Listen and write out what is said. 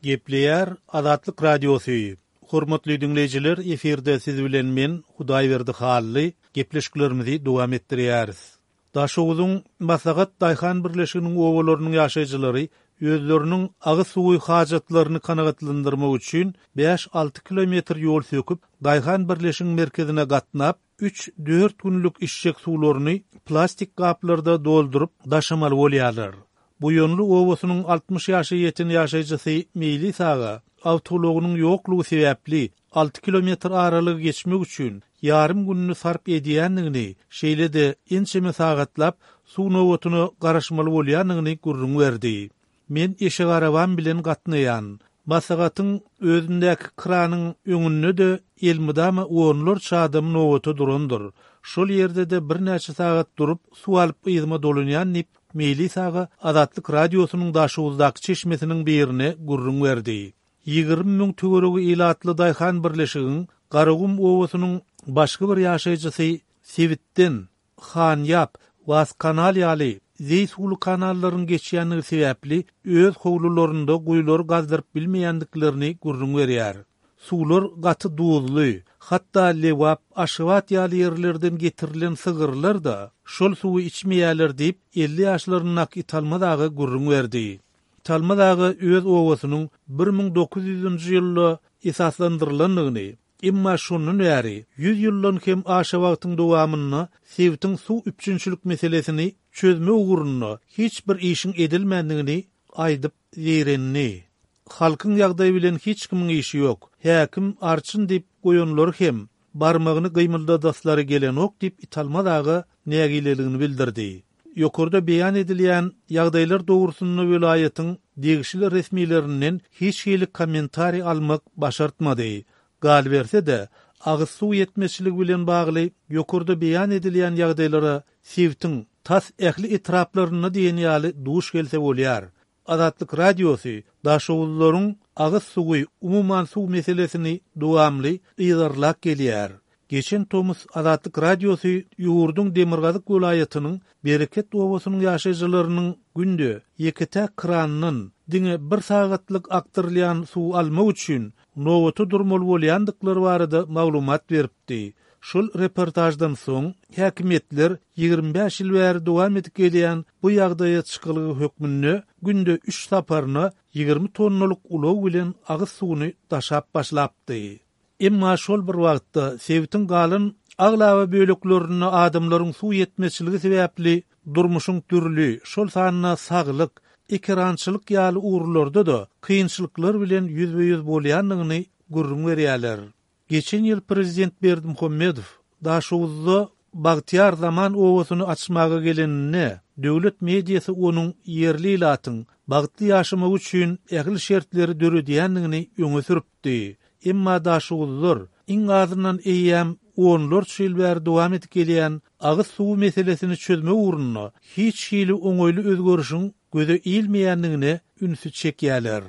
Gepleýär Azatlyk Radiosy, Hormatly diňleýjiler, efirde siz bilen men, Hudaýberdi Hally, gepleşiklerimizi dowam etdirýäris. Daşoguzyň Maslahat daýhan birleşiginiň obalarynyň ýaşaýjylary özleriniň agyz suwy hajatlaryny kanagatlandyrmak üçin bäş-alty kilometr ýol söküp, daýhan birleşigiň merkezine gatnap, üç-dört günlük içjek suwlaryny plastik gaplarda dolduryp daşamaly bolýarlar. Buýanly obasynyň 60 ýaşa ýeten ýaşaýjysy Meýlis aga awtoulagynyň ýoklugy sebäpli alty kilometr aralygy geçmek üçin ýarym gününi sarp edýändigini, şeýle-de ençeme sagatlap suw nobatyna garaşmaly bolýandygyny gürrüň berdi. Men eşegarabam bilen gatnaýan. Maslahatyň özündäki kranyň öňünde-de elmydama onlarça adam nobata durandyr. Şol ýerde-de birnäçe sagat durup, suw alyp yzyma dolanýan diýip, Meýlis aga Azatlyk Radiosynyň Daşoguzdaky çeşmesiniň birine gürrüň berdi. 20 müň töweregi ilatly daýhan birleşigiň Garagum obasynyň başga bir ýaşaýjysy sebitden Hanýap, Waskanal ýaly zeý suwly kanallaryň geçýändigi sebäpli öz howlularynda guýulary gazdyryp bilmeýändiklerini gürrüň berýär. Suwlar gaty duzly, hatda Lebap, Aşgabat ýaly ýerlerden getirilen sygyrlar-da şol suwy içmeýärler diýip, 50 ýaşlaryndaky Italmaz aga gürrüň berdi. Italmaz aga öz obasynyň 1900-nji ýylda esaslandyrylandygyny, Emma şondan bäri, ýüz ýyldan hem aşa wagtyň dowamynda sebitiň suw üpjünçilik meselesini çözmek ugrunda hiç bir işiň edilmändigini aýdyp zeýrendi. Halkyň ýagdaýy bilen hiç kimiň işi ýok. Häkim arçyn diýip goýanlary hem barmagyny gymyldadaslary gelenok diýip Italmaz aga nägileligini bildirdi. Ýokarda beýan edilýän ýagdaýlar dogrusynda welaýatyň degişli resmilerinden hiç hili kommentariý almak başartmady. Galyberse-de, agyz suw ýetmezçiligi bilen bagly ýokarda beýan edilýän ýagdaýlara sebitiň tas ähli etraplarynda diýen ýaly duş gelse bolýar. Azatlyk Radiosy daşoguzlylaryň agyz suwy, umuman suw meselesini dowamly yzarlap gelýär. Geçen tomus Azatlyk Radiosy ýurduň demirgazyk welaýatynyň Bereket obasynyň ýaşaýjylarynyň günde ýeke-täk krandan diňe bir sagatlyk akdyrylýan suwy almak üçin nobata durmaly bolýandyklary barada maglumat beripdi. Şol reportaždan soň, häkimiýetler 25 ýyl bäri dowam edip gelýän bu ýagdaýa çykalga hökmünde günde üç saparyna 20 tonnalyk ulag bilen agyz suwuny daşap başlapdy. Emma şol bir wagtda sebitiň galan aglaba böleklerinde adamlaryň suw ýetmezçiligi sebäpli durmuşyň dürli, şol sanda saglyk, ekerançylyk ýaly ugurlarda-da kynçylyklar bilen ýüzbe-ýüz bolýandygyny gürrüň berýärler. Geçen ýyl prezident Berdimuhamedow Daşoguzda Bagtyýar zaman obasyny açmaga geleninde, döwlet mediasy onuň ýerli ilatyň bagtly ýaşamagy üçin ähli şertleri döredýändigini öňe sürüpdi. Emma daşoguzlylar iň azyndan eýýäm onlarça ýyl bäri dowam edip gelýän agyz suwy meselesini çözmek ugrunda hiç hili oňaýly özgerişiň göze ilmeýändigine ünsi çekýärler.